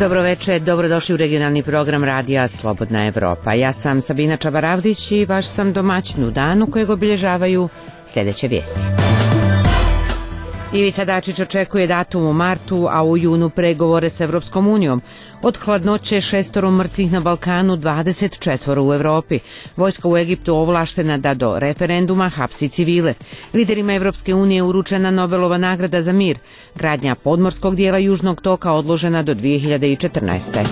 Dobro večer, dobrodošli u regionalni program radija Slobodna Evropa. Ja sam Sabina Čabaravdić i vaš sam domaćin u danu kojeg obilježavaju sljedeće vijesti. Ivica Dačić očekuje datum u martu, a u junu pregovore s Evropskom unijom. Od hladnoće 6 mrtvih na Balkanu, 24 u Evropi. Vojska u Egiptu ovlaštena da do referenduma hapsi civile. Liderima Evropske unije uručena Nobelova nagrada za mir. Gradnja podmorskog dijela Južnog toka odložena do 2014.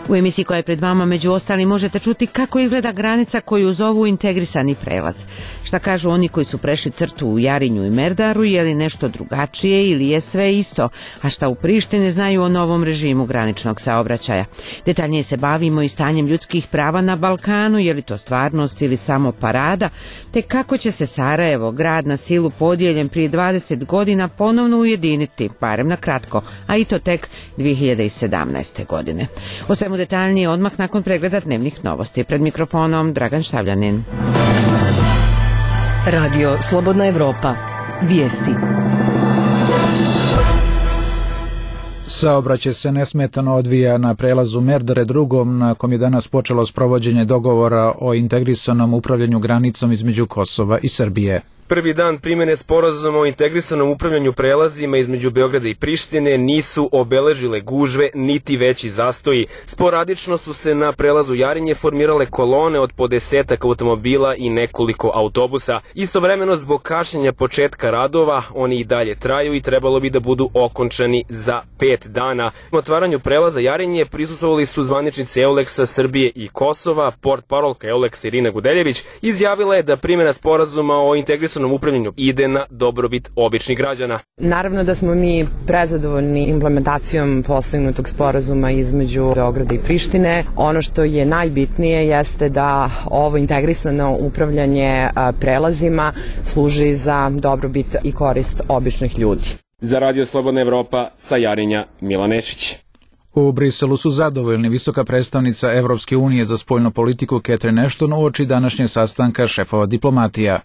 U emisiji koja je pred vama među ostalim možete čuti kako izgleda granica koju zovu integrisani prelaz. Šta kažu oni koji su prešli crtu u Jarinju i Merdaru, je li nešto drugačije ili je sve isto, a šta u Prištini znaju o novom režimu graničnog saobraćaja. Detaljnije se bavimo i stanjem ljudskih prava na Balkanu, je li to stvarnost ili samo parada, te kako će se Sarajevo, grad na silu podijeljen prije 20 godina, ponovno ujediniti, barem na kratko, a i to tek 2017. godine. O svemu detaljnije odmah nakon pregleda dnevnih novosti. Pred mikrofonom Dragan Štavljanin. Radio Slobodna Evropa. Vijesti. Saobraćaj se nesmetano odvija na prelazu Merdare drugom, na kom je danas počelo sprovođenje dogovora o integrisanom upravljanju granicom između Kosova i Srbije. Prvi dan primjene sporazuma o integrisanom upravljanju prelazima između Beograda i Prištine nisu obeležile gužve niti veći zastoji. Sporadično su se na prelazu Jarinje formirale kolone od po 10 automobila i nekoliko autobusa. Istovremeno zbog kašnjenja početka radova oni i dalje traju i trebalo bi da budu okončani za 5 dana. U otvaranju prelaza Jarinje prisustvovali su zvaničnici EULEX-a Srbije i Kosova. Portparolka EULEX-a Irina Gudeljević izjavila je da primjena sporazuma o integrisanom upravljanju ide na dobrobit običnih građana. Naravno da smo mi prezadovoljni implementacijom postignutog sporazuma između Beograda i Prištine. Ono što je najbitnije jeste da ovo integrisano upravljanje prelazima služi za dobrobit i korist običnih ljudi. Za Radio Slobodna Evropa sa Jarinja, Milan Nešić. U Briselu su zadovoljni visoka predstavnica Evropske unije za spoljnu politiku Catherine Ashton uoči današnjeg sastanka šefova diplomatija.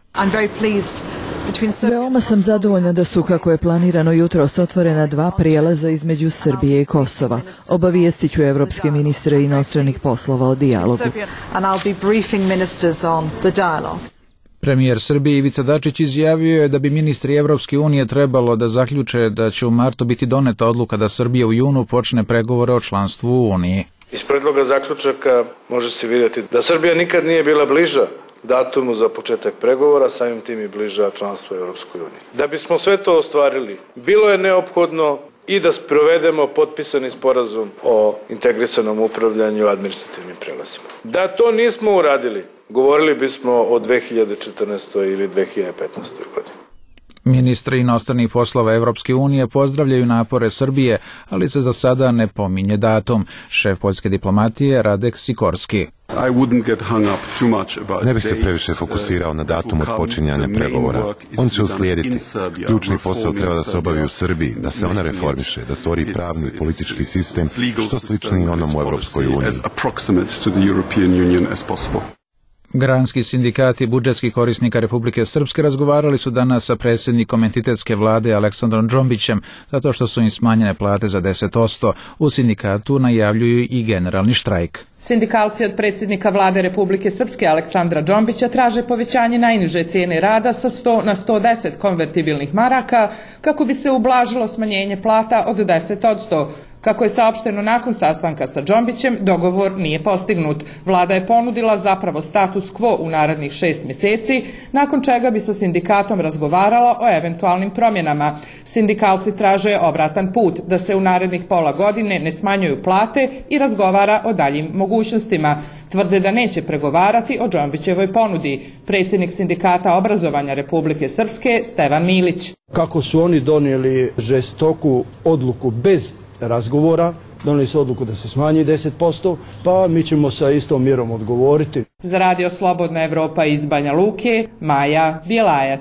Veoma sam zadovoljna da su, kako je planirano, jutros otvorena 2 prijelaza između Srbije i Kosova. Obavijestit ću evropske ministre inostranih poslova o dijalogu. Premijer Srbije Ivica Dačić izjavio je da bi ministri Evropske unije trebalo da zaključe da će u martu biti doneta odluka da Srbija u junu počne pregovore o članstvu u Uniji. Iz predloga zaključaka može se vidjeti da Srbija nikad nije bila bliža datumu za početak pregovora, samim tim i bliža članstvu u Evropskoj uniji. Da bismo sve to ostvarili, bilo je neophodno i da sprovedemo potpisani sporazum o integrisanom upravljanju administrativnim prelazima. Da to nismo uradili, govorili bismo o 2014. ili 2015. godini. Ministri inostranih poslova Evropske unije pozdravljaju napore Srbije, ali se za sada ne pominje datum. Šef poljske diplomatije Radek Sikorski. Ne bih se previše fokusirao na datum počinjanja pregovora. On će uslijediti. Ključni posao treba da se obavi u Srbiji, da se ona reformiše, da stvori pravni i politički sistem što slični onom u Evropskoj uniji. Granski sindikati budžetskih korisnika Republike Srpske razgovarali su danas sa predsjednikom entitetske vlade Aleksandrom Džombićem, zato što su im smanjene plate za 10%. U sindikatu najavljuju i generalni štrajk. Sindikalci od predsjednika vlade Republike Srpske Aleksandra Džombića traže povećanje najniže cijene rada sa 100 na 110 konvertibilnih maraka kako bi se ublažilo smanjenje plata od 10%. Kako je saopšteno nakon sastanka sa Džombićem, dogovor nije postignut. Vlada je ponudila zapravo status quo u narednih 6 mjeseci, nakon čega bi sa sindikatom razgovarala o eventualnim promjenama. Sindikalci traže obratan put, da se u narednih pola godine ne smanjuju plate i razgovara o daljim mogućnostima. Tvrde da neće pregovarati o Džombićevoj ponudi. Predsjednik sindikata obrazovanja Republike Srpske Stevan Milić. Kako su oni donijeli žestoku odluku bez razgovora, donijeli su odluku da se smanji 10%, pa mi ćemo sa istom mjerom odgovoriti. Za Radio Slobodna Evropa iz Banja Luke, Maja Bjelajac.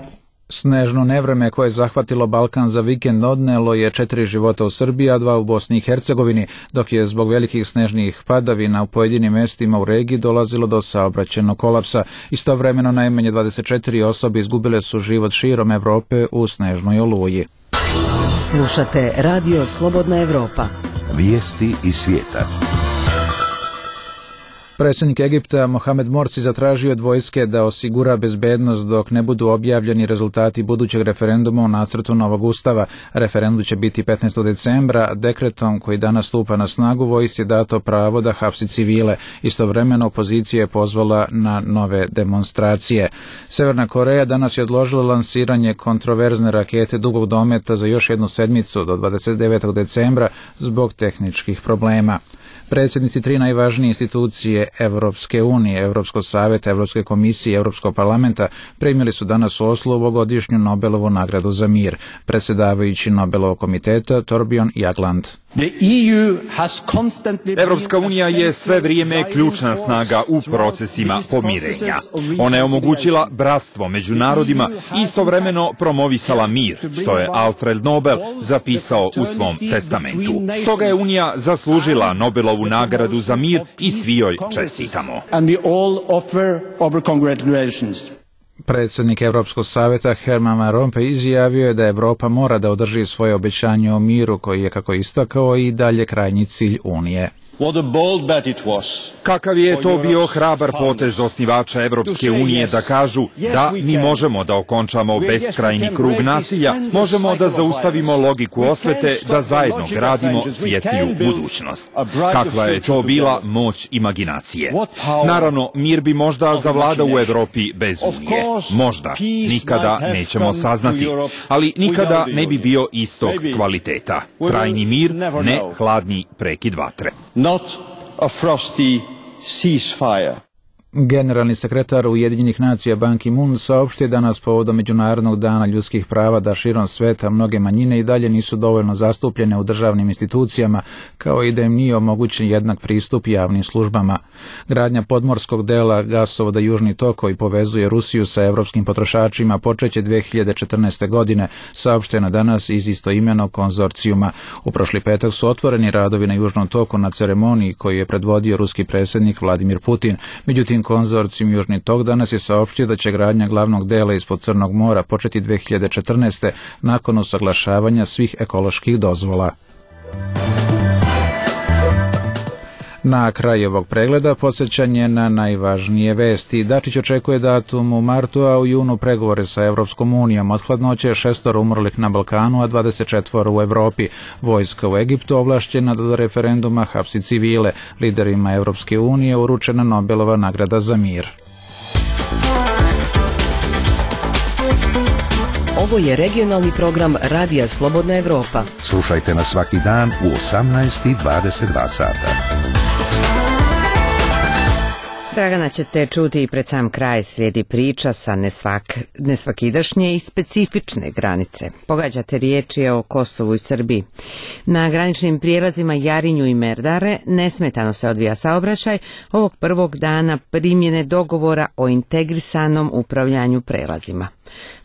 Snežno nevreme koje je zahvatilo Balkan za vikend odnelo je 4 života u Srbiji, a 2 u Bosni i Hercegovini, dok je zbog velikih snežnih padavina u pojedinim mjestima u regiji dolazilo do saobraćajnog kolapsa. Istovremeno najmanje 24 osobe izgubile su život širom Evrope u snežnoj oluji. Slušate Radio Slobodna Evropa. Vijesti iz svijeta. Predsjednik Egipta Mohamed Morsi zatražio od vojske da osigura bezbednost dok ne budu objavljeni rezultati budućeg referenduma o nacrtu novog ustava. Referendum će biti 15. decembra. Dekretom koji danas stupa na snagu vojsci je dato pravo da hapsi civile. Istovremeno opozicija je pozvala na nove demonstracije. Severna Koreja danas je odložila lansiranje kontroverzne rakete dugog dometa za još jednu sedmicu do 29. decembra zbog tehničkih problema. Predsjednici tri najvažnije institucije Evropske unije, Europskog savjeta, Europske komisije i Europskog parlamenta primili su danas u Oslu ovogodišnju Nobelovu nagradu za mir. Predsjedavajući Nobelovog komiteta Torbjörn Jagland. Evropska unija je sve vrijeme ključna snaga u procesima pomirenja. Ona je omogućila bratstvo među narodima i istovremeno promovisala mir, što je Alfred Nobel zapisao u svom testamentu. Stoga je Unija zaslužila Nobelovu nagradu za mir i svi joj čestitamo. Predsjednik Europskog savjeta Herman Van Rompuy izjavio je da Europa mora da održi svoje obećanje o miru koji je, kako istakao, i dalje krajnji cilj Unije. Kakav je to bio hrabar potez osnivača Evropske unije da kažu da mi možemo da okončamo beskrajni krug nasilja, možemo da zaustavimo logiku osvete, da zajedno gradimo svjetliju budućnost. Kakva je to bila moć imaginacije? Naravno, mir bi možda zavladao u Evropi bez Unije. Možda. Nikada nećemo saznati. Ali nikada ne bi bio istog kvaliteta. Trajni mir, ne hladni prekid vatre. Not a frosty ceasefire. Generalni sekretar Ujedinjenih nacija Ban Ki-moon saopštio danas povodom Međunarodnog dana ljudskih prava da širom sveta mnoge manjine i dalje nisu dovoljno zastupljene u državnim institucijama, kao i da im nije omogućen jednak pristup javnim službama. Gradnja podmorskog dela gasovoda Južni tok koji povezuje Rusiju sa evropskim potrošačima počeće 2014. godine, saopšteno danas iz istoimenog konzorcijuma. U prošli petak su otvoreni radovi na Južnom toku na ceremoniji koju je predvodio ruski predsjednik Vladimir Putin. Međutim, konzorcijum Južni tok danas je saopštio da će gradnja glavnog dela ispod Crnog mora početi 2014. nakon usaglašavanja svih ekoloških dozvola. Na kraju ovog pregleda podsjećanje na najvažnije vesti. Dačić očekuje datum u martu, a u junu pregovore sa Evropskom unijom. Od hladnoće 6 umrlih na Balkanu, a 24 u Evropi. Vojska u Egiptu ovlašćena da do referenduma hapsi civile. Liderima Evropske unije uručena Nobelova nagrada za mir. Ovo je regionalni program Radija Slobodna Evropa. Slušajte nas svaki dan u 18:22 sata. Dragana ćete čuti i pred sam kraj slijedi priča sa nesvakidašnje i specifične granice. Pogađate riječi o Kosovu i Srbiji. Na graničnim prijelazima Jarinju i Merdare nesmetano se odvija saobraćaj ovog prvog dana primjene dogovora o integrisanom upravljanju prelazima.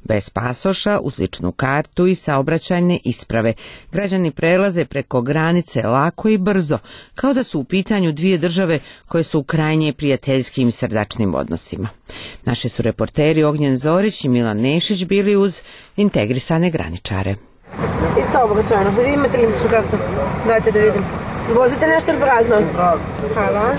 Bez pasoša, uz ličnu kartu i saobraćajne isprave. Građani prelaze preko granice lako i brzo, kao da su u pitanju dvije države koje su u krajnje prijateljskim i srdačnim odnosima. Naši su reporteri Ognjen Zorić i Milan Nešić bili uz integrisane graničare. I saobraćajno, vi imate li ličnu kartu? Dajte da vidim. Vozite nešto prazno? Hvala.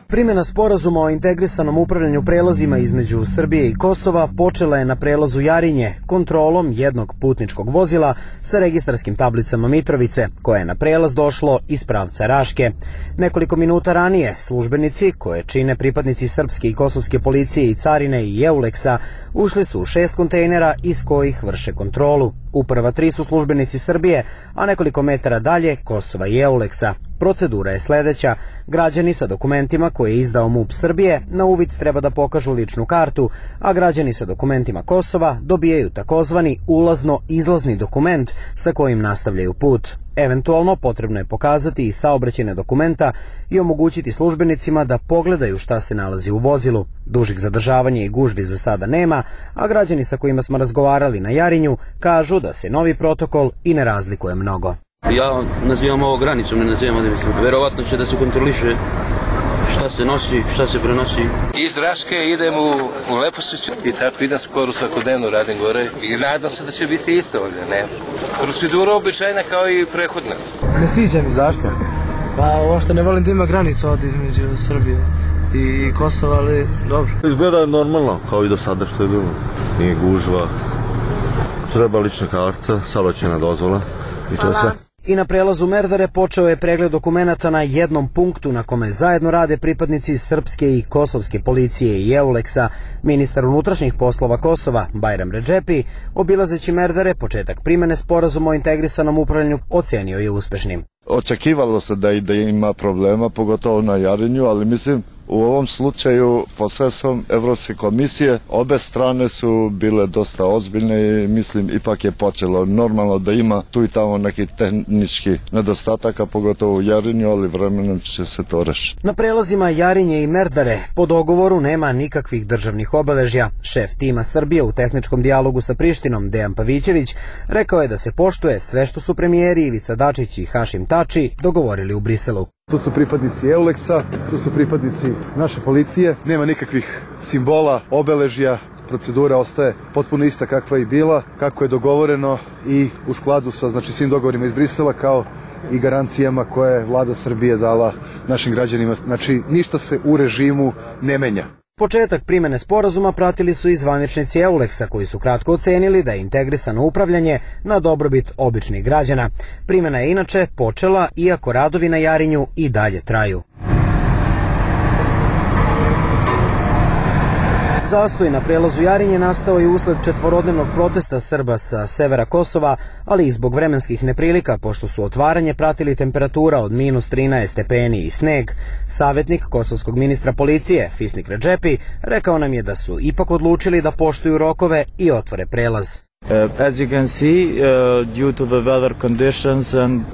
Primjena sporazuma o integrisanom upravljanju prelazima između Srbije i Kosova počela je na prelazu Jarinje kontrolom jednog putničkog vozila sa registarskim tablicama Mitrovice, koje je na prelaz došlo iz pravca Raške. Nekoliko minuta ranije službenici, koje čine pripadnici srpske i kosovske policije i carine i Euleksa, ušli su u 6 kontejnera iz kojih vrše kontrolu. U prva 3 su službenici Srbije, a nekoliko metara dalje Kosova i Euleksa. Procedura je sljedeća. Građani sa dokumentima koje je izdao MUP Srbije na uvid treba da pokažu ličnu kartu, a građani sa dokumentima Kosova dobijaju takozvani ulazno-izlazni dokument sa kojim nastavljaju put. Eventualno potrebno je pokazati i saobraćajne dokumenta i omogućiti službenicima da pogledaju šta se nalazi u vozilu. Dužih zadržavanja i gužvi za sada nema, a građani sa kojima smo razgovarali na Jarinju kažu da se novi protokol i ne razlikuje mnogo. Ja nazivam ovo granicom, ne nazivam odmah. Verovatno će da se kontroliše šta se nosi, šta se prenosi. Iz Raške idem u Lepošić i tako idem skoro svakodnevno radim gore i nadam se da će biti isto ovdje, ne. Procedura običajna kao i prethodna. Ne sviđa mi. Zašto? Pa ovo što ne volim da ima granicu ovdje između Srbije i Kosova, ali dobro. Izgleda normalno, kao i do sada što je bilo. Nije gužva, treba lična karta, saobraćajna dozvola i to je sve. I na prelazu Merdare počeo je pregled dokumenata na jednom punktu na kome zajedno rade pripadnici srpske i kosovske policije i EULEX-a. Ministar unutrašnjih poslova Kosova, Bajram Redžepi, obilazeći Merdare, početak primene sporazuma o integrisanom upravljanju ocenio je uspešnim. Očekivalo se da ima problema, pogotovo na Jarinju, ali mislim u ovom slučaju posredstvom Evropske komisije obe strane su bile dosta ozbiljne i mislim ipak je počelo. Normalno da ima tu i tamo neki tehnički nedostataka, pogotovo u Jarinju, ali vremenom će se to rešiti. Na prelazima Jarinje i Merdare po dogovoru nema nikakvih državnih obeležja. Šef tima Srbije u tehničkom dijalogu sa Prištinom, Dejan Pavićević, rekao je da se poštuje sve što su premijeri Ivica Dačić i Hašim Tači dogovorili u Briselu. Tu su pripadnici EULEX-a, tu su pripadnici naše policije, nema nikakvih simbola, obeležja, procedura ostaje potpuno ista kakva je i bila, kako je dogovoreno i u skladu sa svim dogovorima iz Brisela kao i garancijama koje je vlada Srbije dala našim građanima. Znači, ništa se u režimu ne menja. Početak primene sporazuma pratili su i zvaničnici EULEX-a koji su kratko ocenili da je integrisano upravljanje na dobrobit običnih građana. Primena je inače počela, iako radovi na Jarinju i dalje traju. Zastoj na prelazu Jarinje nastao je usled četvorodnevnog protesta Srba sa severa Kosova, ali i zbog vremenskih neprilika, pošto su otvaranje pratili temperatura od -13 stepeni i sneg. Savjetnik kosovskog ministra policije, Fisnik Redžepi, rekao nam je da su ipak odlučili da poštuju rokove i otvore prelaz.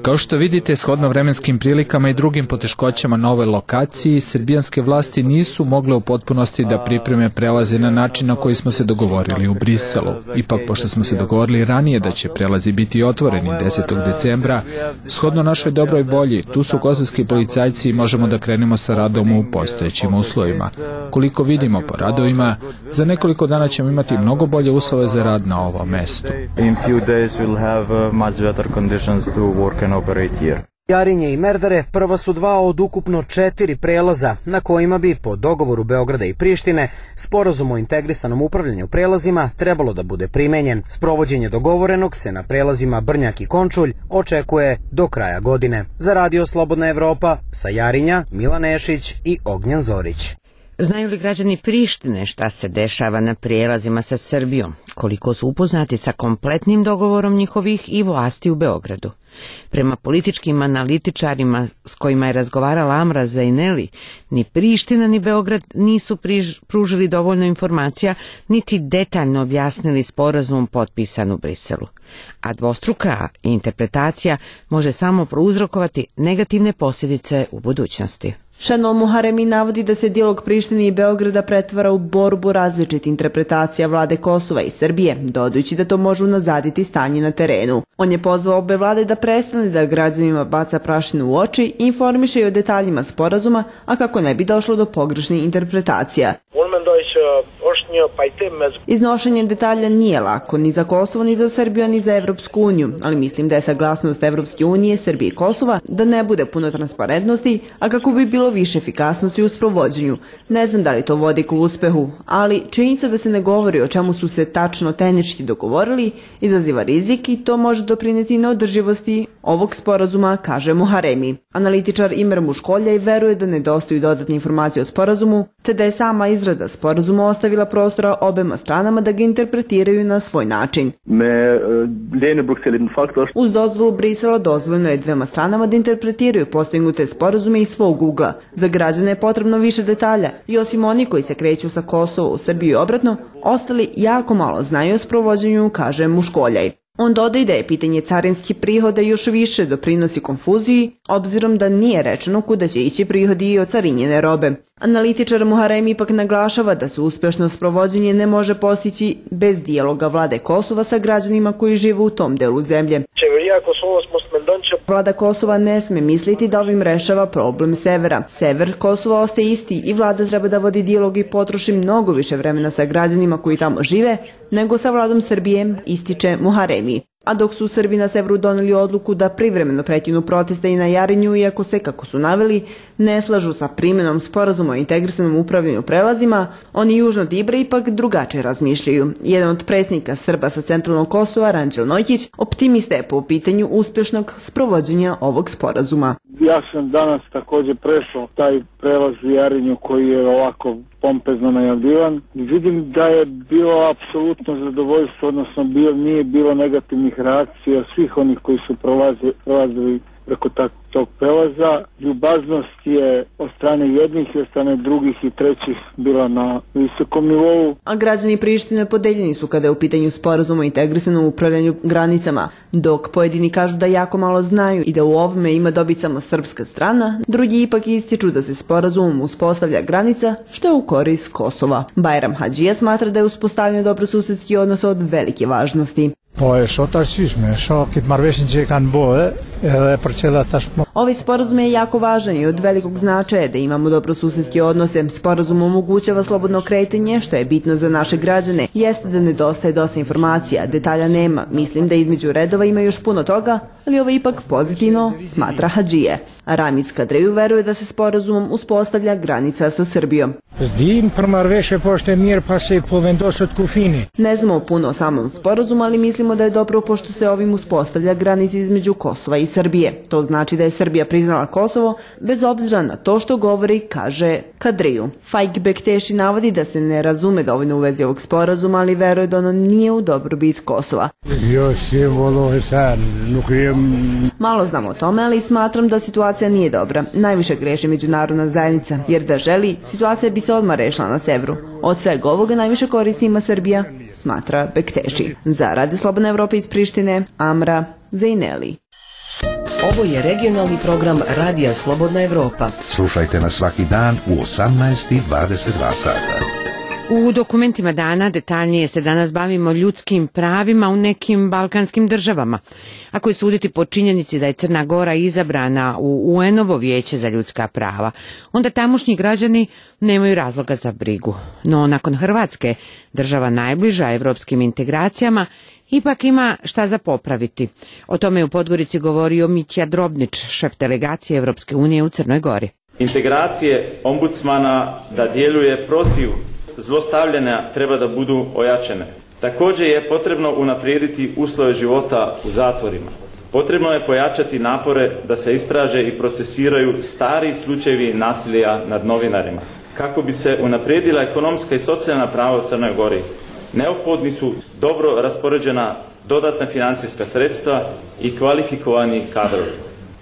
Kao što vidite, shodno vremenskim prilikama i drugim poteškoćama na ovoj lokaciji, srbijanske vlasti nisu mogle u potpunosti da pripreme prelaze na način na koji smo se dogovorili u Briselu. Ipak, pošto smo se dogovorili ranije da će prelazi biti otvoreni 10. decembra, shodno našoj dobroj volji, tu su kosovski policajci i možemo da krenemo sa radom u postojećim uslovima. Koliko vidimo po radovima, za nekoliko dana ćemo imati mnogo bolje uslove za rad na ovom mestu. Jarinje i Merdare prva su dva od ukupno 4 prelaza na kojima bi, po dogovoru Beograda i Prištine, sporazum o integrisanom upravljanju prelazima trebalo da bude primenjen. Sprovođenje dogovorenog se na prelazima Brnjak i Končulj očekuje do kraja godine. Za Radio Slobodna Evropa, sa Jarinja, Milan Nešić i Ognjen Zorić. Znaju li građani Prištine šta se dešava na prijelazima sa Srbijom? Koliko su upoznati sa kompletnim dogovorom njihovih i vlasti u Beogradu? Prema političkim analitičarima s kojima je razgovarala Amra Zaineli, ni Priština ni Beograd nisu pružili dovoljno informacija, niti detaljno objasnili sporazum potpisan u Briselu. A dvostruka interpretacija može samo prouzrokovati negativne posljedice u budućnosti. Šanol Muharemi navodi da se dijalog Prištine i Beograda pretvara u borbu različitih interpretacija vlade Kosova i Srbije, dodajući da to može unazaditi stanje na terenu. On je pozvao obe vlade da prestane da građanima baca prašinu u oči i informiše i o detaljima sporazuma, a kako ne bi došlo do pogrešnih interpretacija. Iznošenje detalja nije lako ni za Kosovo, ni za Srbiju, ni za Evropsku uniju, ali mislim da je saglasnost Evropske unije, Srbije i Kosova da ne bude puno transparentnosti, a kako bi bilo više efikasnosti u sprovođenju. Ne znam da li to vodi ka uspehu, ali činjenica da se ne govori o čemu su se tačno tehnički dogovorili izaziva rizik i to može doprineti neodrživosti ovog sporazuma, kaže Muharemi. Analitičar Imer Muškolja i veruje da nedostaju dodatne informacije o sporazumu, te da je sama izrada sporazuma ostavila prostora obema stranama da ga interpretiraju na svoj način. Uz dozvolu Brisela dozvoljeno je dvema stranama da interpretiraju postignute sporazume iz svog ugla. Za građane je potrebno više detalja i osim oni koji se kreću sa Kosova u Srbiju i obratno, ostali jako malo znaju o sprovođenju, kaže Muškoljaj. On dodaje da je pitanje carinskih prihoda još više doprinosi konfuziji, obzirom da nije rečeno kuda će ići prihodi i od carinjene robe. Analitičar Muharemi ipak naglašava da se uspešno sprovođenje ne može postići bez dijaloga vlade Kosova sa građanima koji žive u tom delu zemlje. Vlada Kosova ne sme misliti da ovim rešava problem severa. Sever Kosova ostaje isti i vlada treba da vodi dijalog i potroši mnogo više vremena sa građanima koji tamo žive nego sa vladom Srbije, ističe Muharemi. A dok su Srbi na severu doneli odluku da privremeno prekinu proteste i na Jarinju, iako se, kako su naveli, ne slažu sa primjenom sporazuma o integrisanom upravljanju prelazima, oni južno od Ibra ipak drugačije razmišljaju. Jedan od predsjednika Srba sa centralnog Kosova, Ranđel Nojkić, optimista je po pitanju uspješnog sprovođenja ovog sporazuma. Ja sam danas također prešao taj prelaz u Jarinju koji je ovako pompezno najavljivan. Vidim da je bilo apsolutno zadovoljstvo, odnosno nije bilo negativnih reakcija svih onih koji su prolazili preko tog prelaza. Ljubaznost je od strane jednih i od strane drugih i trećih bila na visokom nivou. A građani Prištine podeljeni su kada je u pitanju sporazuma o integrisanom upravljanju granicama. Dok pojedini kažu da jako malo znaju i da u ovome ima dobit samo srpska strana, drugi ipak ističu da se sporazumom uspostavlja granica što je u korist Kosova. Bajram Hadžija smatra da je uspostavljanje dobrosusedskih odnosa od velike važnosti. Ovaj sporazum je jako važan i od velikog značaja da imamo dobrosusedske odnose. Sporazum omogućava slobodno kretanje, što je bitno za naše građane. Jeste da nedostaje dosta informacija, detalja nema. Mislim da između redova ima još puno toga, ali ovo je ipak pozitivno, smatra Hadžije. A Ramiz Kadreju veruje da se sporazumom uspostavlja granica sa Srbijom. Ne znamo puno o samom sporazumu, ali mislimo da je dobro pošto se ovim uspostavlja granica između Kosova i Srbije. To znači da je Srbija priznala Kosovo bez obzira na to što govori, kaže Kadriju. Faik Bekteši navodi da se ne razume dovoljno u vezi ovog sporazuma, ali veruje da ono nije u dobrobit Kosova. Malo znamo o tome, ali smatram da situacija nije dobra. Najviše greši međunarodna zajednica, jer da želi, situacija bi se odmah rešila na severu. Od svega ovoga najviše koristi ima Srbija, smatra Bekteši. Za Radio Slobodna Evropa iz Prištine, Amra Zejneli. Ovo je regionalni program Radija Slobodna Evropa. Slušajte nas svaki dan u 18:22 sata. U dokumentima dana detaljnije se danas bavimo ljudskim pravima u nekim balkanskim državama. Ako je suditi po činjenici da je Crna Gora izabrana u UN-ovo vijeće za ljudska prava, onda tamošnji građani nemaju razloga za brigu. No nakon Hrvatske, država najbliža evropskim integracijama, ipak ima šta za popraviti. O tome je u Podgorici govorio Mitja Drobnić, šef delegacije Evropske unije u Crnoj Gori. Integracije ombudsmana da djeluje protiv zlostavljanja treba da budu ojačene. Također je potrebno unaprijediti uslove života u zatvorima. Potrebno je pojačati napore da se istraže i procesiraju stari slučajevi nasilja nad novinarima. Kako bi se unaprijedila ekonomska i socijalna prava u Crnoj Gori, neophodni su dobro raspoređena dodatna financijska sredstva i kvalifikovani kadrovi.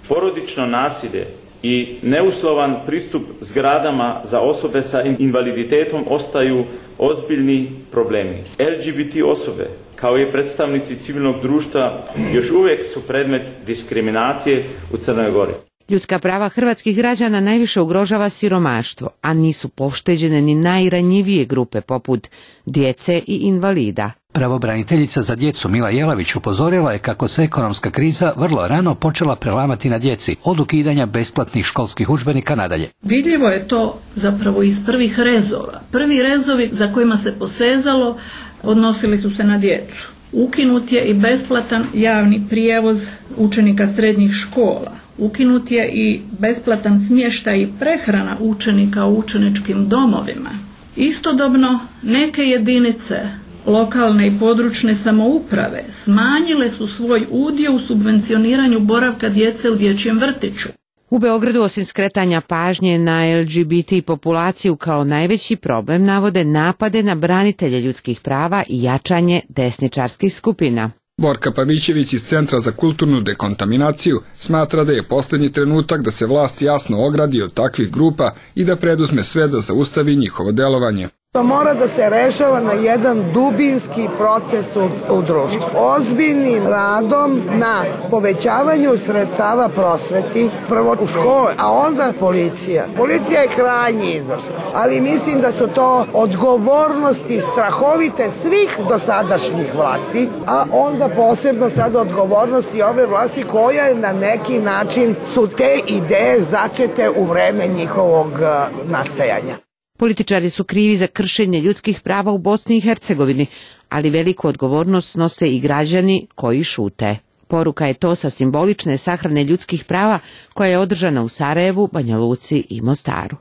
Porodično nasilje i neuslovan pristup zgradama za osobe sa invaliditetom ostaju ozbiljni problemi. LGBT osobe, kao i predstavnici civilnog društva, još uvijek su predmet diskriminacije u Crnoj Gori. Ljudska prava hrvatskih građana najviše ugrožava siromaštvo, a nisu pošteđene ni najranjivije grupe poput djece i invalida. Pravobraniteljica za djecu Mila Jelavić upozorila je kako se ekonomska kriza vrlo rano počela prelamati na djeci, od ukidanja besplatnih školskih udžbenika nadalje. Vidljivo je to zapravo iz prvih rezova. Prvi rezovi za kojima se posezalo odnosili su se na djecu. Ukinut je i besplatan javni prijevoz učenika srednjih škola. Ukinut je i besplatan smještaj i prehrana učenika u učeničkim domovima. Istodobno neke jedinice lokalne i područne samouprave smanjile su svoj udio u subvencioniranju boravka djece u dječjem vrtiću. U Beogradu osim skretanja pažnje na LGBT populaciju kao najveći problem navode napade na branitelje ljudskih prava i jačanje desničarskih skupina. Borka Pavićević iz Centra za kulturnu dekontaminaciju smatra da je posljednji trenutak da se vlast jasno ogradi od takvih grupa i da preduzme sve da zaustavi njihovo delovanje. To mora da se rešava na jedan dubinski proces u društvu. Ozbiljnim radom na povećavanju sredstava prosveti, prvo u škole, a onda policija. Policija je krajnji izvor, ali mislim da su to odgovornosti strahovite svih dosadašnjih vlasti, a onda posebno sad odgovornosti ove vlasti koja na neki način su te ideje začete u vreme njihovog nastajanja. Političari su krivi za kršenje ljudskih prava u Bosni i Hercegovini, ali veliku odgovornost snose i građani koji šute. Poruka je to sa simbolične sahrane ljudskih prava koja je održana u Sarajevu, Banja Luci i Mostaru.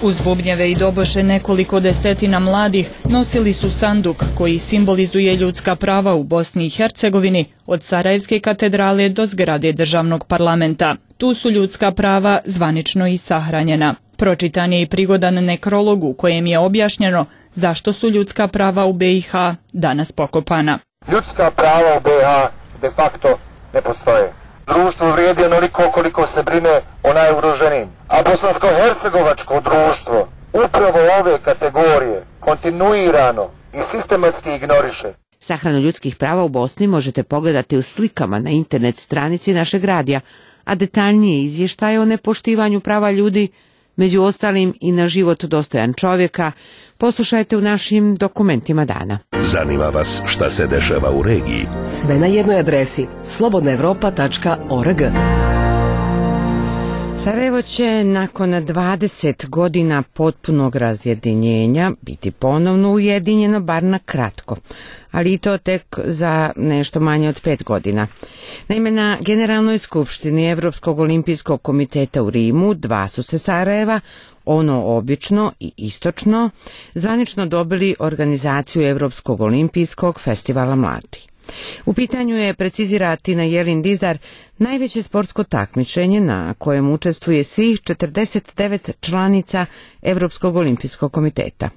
Uz bubnjeve i doboše nekoliko desetina mladih nosili su sanduk koji simbolizuje ljudska prava u Bosni i Hercegovini od Sarajevske katedrale do zgrade državnog parlamenta. Tu su ljudska prava zvanično i sahranjena. Pročitan je i prigodan nekrolog u kojem je objašnjeno zašto su ljudska prava u BiH danas pokopana. Ljudska prava u BiH de facto ne postoje. Društvo vrijedi onoliko koliko se brine o najugroženijim. A bosansko-hercegovačko društvo upravo ove kategorije kontinuirano i sistematski ignoriše. Sahranu ljudskih prava u Bosni možete pogledati u slikama na internet stranici našeg radija, a detaljnije izvještaje o nepoštivanju prava ljudi, među ostalim i na život dostojan čovjeka, poslušajte u našim dokumentima dana. Zanima vas šta se dešava u regiji? Sve na jednoj adresi slobodnaevropa.org. Sarajevo će nakon 20 godina potpunog razjedinjenja biti ponovno ujedinjeno, bar na kratko, ali i to tek za nešto manje od 5 godina. Naime, na Generalnoj skupštini Evropskog olimpijskog komiteta u Rimu 2 su se Sarajeva, ono obično i istočno, zvanično dobili organizaciju Evropskog olimpijskog festivala mladih. U pitanju je, precizira Tina Jelin Dizar, najveće sportsko takmičenje na kojem učestvuje svih 49 članica Evropskog olimpijskog komiteta.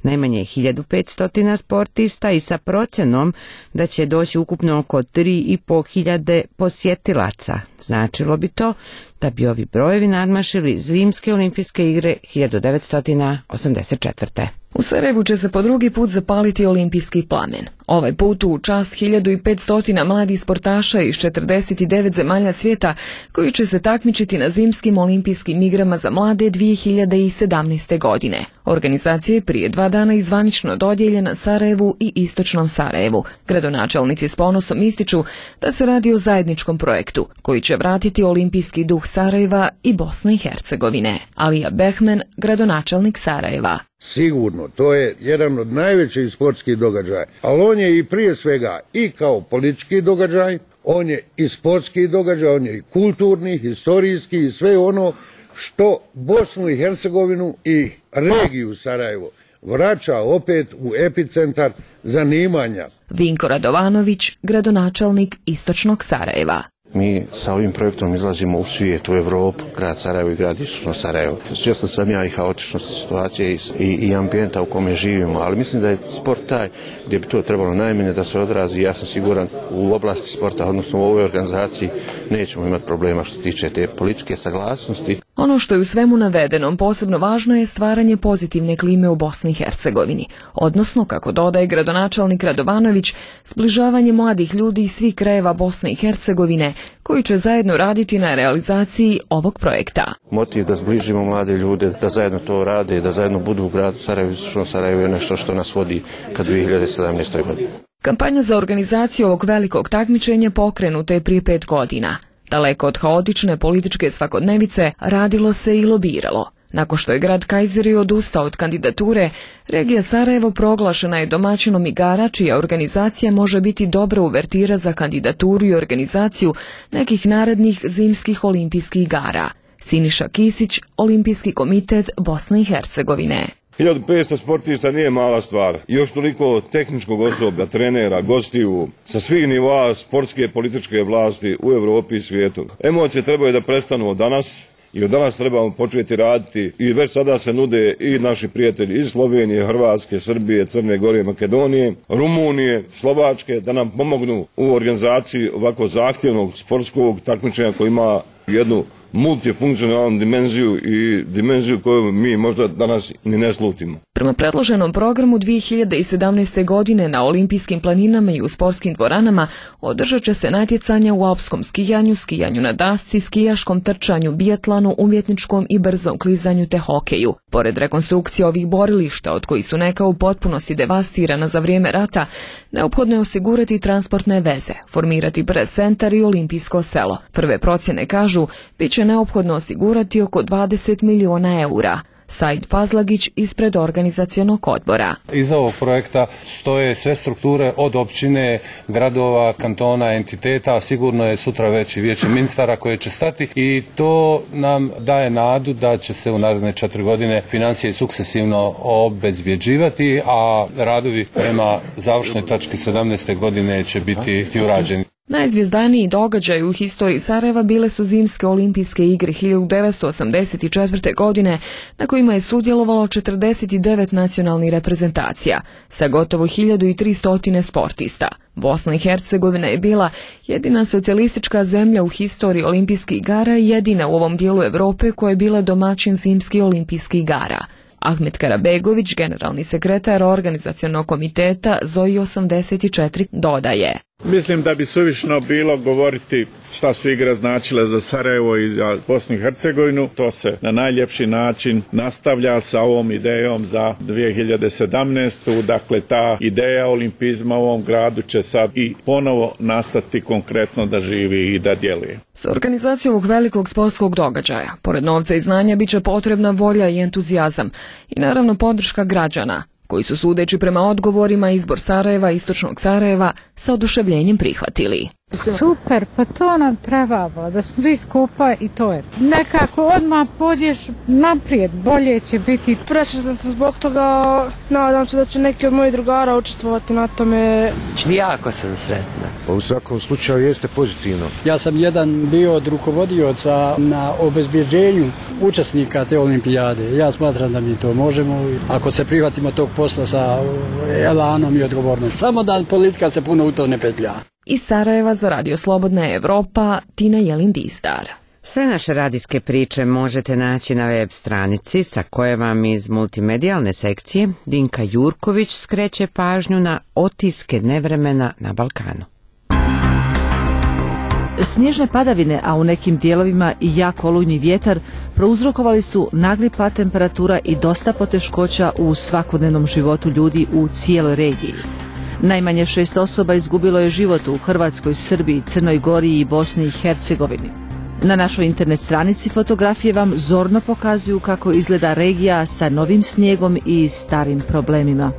Najmanje 1500 sportista i sa procjenom da će doći ukupno oko 3.500 posjetilaca. Značilo bi to da bi ovi brojevi nadmašili Zimske olimpijske igre 1984. U Sarajevu će se po drugi put zapaliti olimpijski plamen. Ovaj put u čast 1500 mladih sportaša iz 49 zemalja svijeta koji će se takmičiti na Zimskim olimpijskim igrama za mlade 2017. godine. Organizacija je prije 2 dana izvanično dodijeljena Sarajevu i Istočnom Sarajevu. Gradonačelnici s ponosom ističu da se radi o zajedničkom projektu koji će vratiti olimpijski duh Sarajeva i Bosne i Hercegovine. Alija Behmen, gradonačelnik Sarajeva. Sigurno, to je jedan od najvećih sportskih događaja, ali on je i prije svega i kao politički događaj, on je i sportski događaj, on je i kulturni, historijski i sve ono što Bosnu i Hercegovinu i regiju Sarajevo vraća opet u epicentar zanimanja. Vinko Radovanović, gradonačelnik Istočnog Sarajeva. Mi sa ovim projektom izlazimo u svijet, u Evropu, grad Sarajevo i grad Istočno Sarajevo. Svjestan sam ja i haotičnosti situacije i ambijenta u kome živimo, ali mislim da je sport taj gdje bi to trebalo najmanje da se odrazi. Ja sam siguran u oblasti sporta, odnosno u ovoj organizaciji, nećemo imati problema što se tiče te političke saglasnosti. Ono što je u svemu navedenom posebno važno je stvaranje pozitivne klime u Bosni i Hercegovini, odnosno, kako dodaje gradonačelnik Radovanović, zbližavanje mladih ljudi iz svih krajeva Bosne i Hercegovine koji će zajedno raditi na realizaciji ovog projekta. Motiv da zbližimo mlade ljude, da zajedno to rade, da zajedno budu u gradu Sarajevo i Istočnom Sarajevo je nešto što nas vodi ka 2017. godini. Kampanja za organizaciju ovog velikog takmičenja pokrenuta je prije 5 godina. Daleko od haotične političke svakodnevice radilo se i lobiralo. Nakon što je grad Kajzeri odustao od kandidature, regija Sarajevo proglašena je domaćinom igara čija organizacija može biti dobra uvertira za kandidaturu i organizaciju nekih narednih zimskih olimpijskih igara. Siniša Kisić, Olimpijski komitet Bosne i Hercegovine. 1500 sportista nije mala stvar. Još toliko tehničkog osoblja, trenera, gostiju, sa svih nivoa sportske i političke vlasti u Europi i svijetu. Emocije trebaju da prestanu od danas i od danas trebamo početi raditi i već sada se nude i naši prijatelji iz Slovenije, Hrvatske, Srbije, Crne Gore, Makedonije, Rumunije, Slovačke da nam pomognu u organizaciji ovako zahtjevnog sportskog takmičenja koji ima jednu multifunkcionalnu dimenziju i dimenziju koju mi možda danas ni ne slutimo. Prema predloženom programu 2017. godine na olimpijskim planinama i u sportskim dvoranama održat će se natjecanja u alpskom skijanju, skijanju na dasci, skijaškom trčanju, bijatlonu, umjetničkom i brzom klizanju te hokeju. Pored rekonstrukcije ovih borilišta, od kojih su neka u potpunosti devastirana za vrijeme rata, neophodno je osigurati transportne veze, formirati brz centar i olimpijsko selo. Prve procjene kažu, bit će neophodno osigurati oko 20 miliona eura. Said Fazlagić ispred organizacionog odbora. Iza ovog projekta stoje sve strukture od općine, gradova, kantona, entiteta, a sigurno je sutra već i vijeće ministara koje će stati i to nam daje nadu da će se u naredne 4 godine financije sukcesivno obezbjeđivati, a radovi prema završnoj tački 17. godine će biti urađeni. Najzvijezdaniji događaj u historiji Sarajeva bile su zimske olimpijske igre 1984. godine, na kojima je sudjelovalo 49 nacionalnih reprezentacija sa gotovo 1300 sportista. Bosna i Hercegovina je bila jedina socijalistička zemlja u historiji olimpijskih igara i jedina u ovom dijelu Europe koja je bila domaćin zimskih olimpijskih igara. Ahmet Karabegović, generalni sekretar organizacionog komiteta ZOI 84, dodaje. Mislim da bi suvišno bilo govoriti šta su igre značile za Sarajevo i za Bosnu i Hercegovinu. To se na najljepši način nastavlja sa ovom idejom za 2017. Dakle, ta ideja olimpizma u ovom gradu će sad i ponovo nastati konkretno da živi i da djeluje. Za organizaciju ovog velikog sportskog događaja, pored novca i znanja, bit će potrebna volja i entuzijazam i naravno podrška građana, koji su, sudeći prema odgovorima, izbor Sarajeva, istočnog Sarajeva, sa oduševljenjem prihvatili. Super, pa to nam trebalo, da smo svi skupa i to je. Nekako odmah pođeš naprijed, bolje će biti. Presrećna sam zbog toga, nadam se da će neki od mojih drugara učestvovati na tome. Jako sam sretna. Pa u svakom slučaju jeste pozitivno. Ja sam jedan bio od rukovodioca na obezbjeđenju učesnika te olimpijade. Ja smatram da mi to možemo, ako se prihvatimo tog posla sa elanom i odgovornom. Samo da politika se puno u to ne petlja. Iz Sarajeva za Radio Slobodna Evropa, Tina Jelin-Distar. Sve naše radijske priče možete naći na web stranici sa koje vam iz multimedijalne sekcije Dinka Jurković skreće pažnju na otiske nevremena na Balkanu. Snježne padavine, a u nekim dijelovima i jak olujni vjetar prouzrokovali su nagli pad temperatura i dosta poteškoća u svakodnevnom životu ljudi u cijeloj regiji. Najmanje 6 osoba izgubilo je život u Hrvatskoj, Srbiji, Crnoj Gori i Bosni i Hercegovini. Na našoj internet stranici fotografije vam zorno pokazuju kako izgleda regija sa novim snijegom i starim problemima.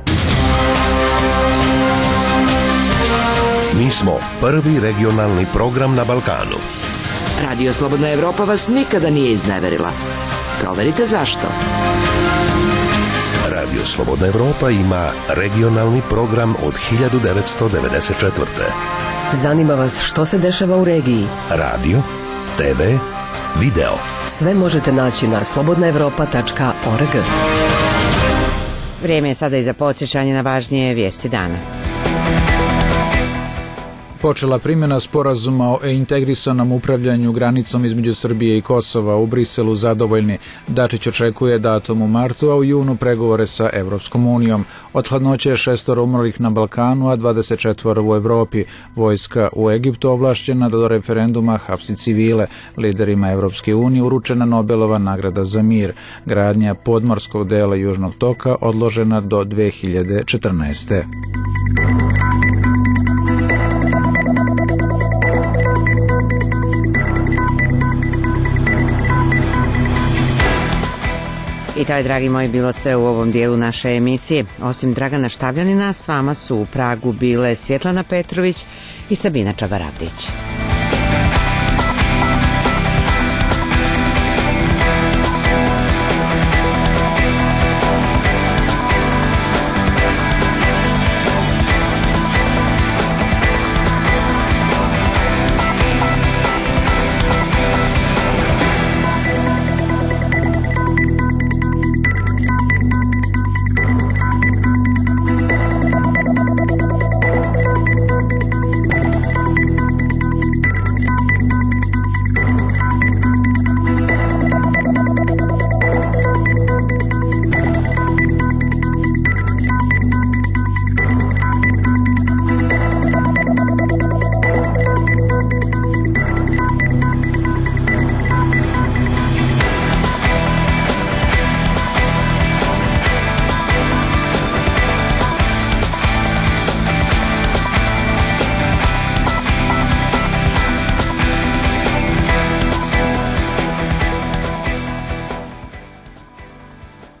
Mi smo prvi regionalni program na Balkanu. Radio Slobodna Evropa vas nikada nije izneverila. Proverite zašto. Radio Slobodna Evropa ima regionalni program od 1994. Zanima vas što se dešava u regiji? Radio, TV, video. Sve možete naći na slobodnaevropa.org. Vrijeme je sada i za podsjećanje na važnije vijesti dana. Počela primjena sporazuma o integrisanom upravljanju granicom između Srbije i Kosova. U Briselu zadovoljni. Dačić očekuje datum u martu, a u junu pregovore sa Evropskom unijom. Od hladnoće je 6 umrlih na Balkanu, a 24 u Evropi. Vojska u Egiptu ovlašćena da do referenduma hapsi civile. Liderima Evropske unije uručena Nobelova nagrada za mir. Gradnja podmorskog dela Južnog toka odložena do 2014. I to je, dragi moji, bilo sve u ovom dijelu naše emisije. Osim Dragana Štavljanina, s vama su u Pragu bile Svjetlana Petrović i Sabina Čabaravdić.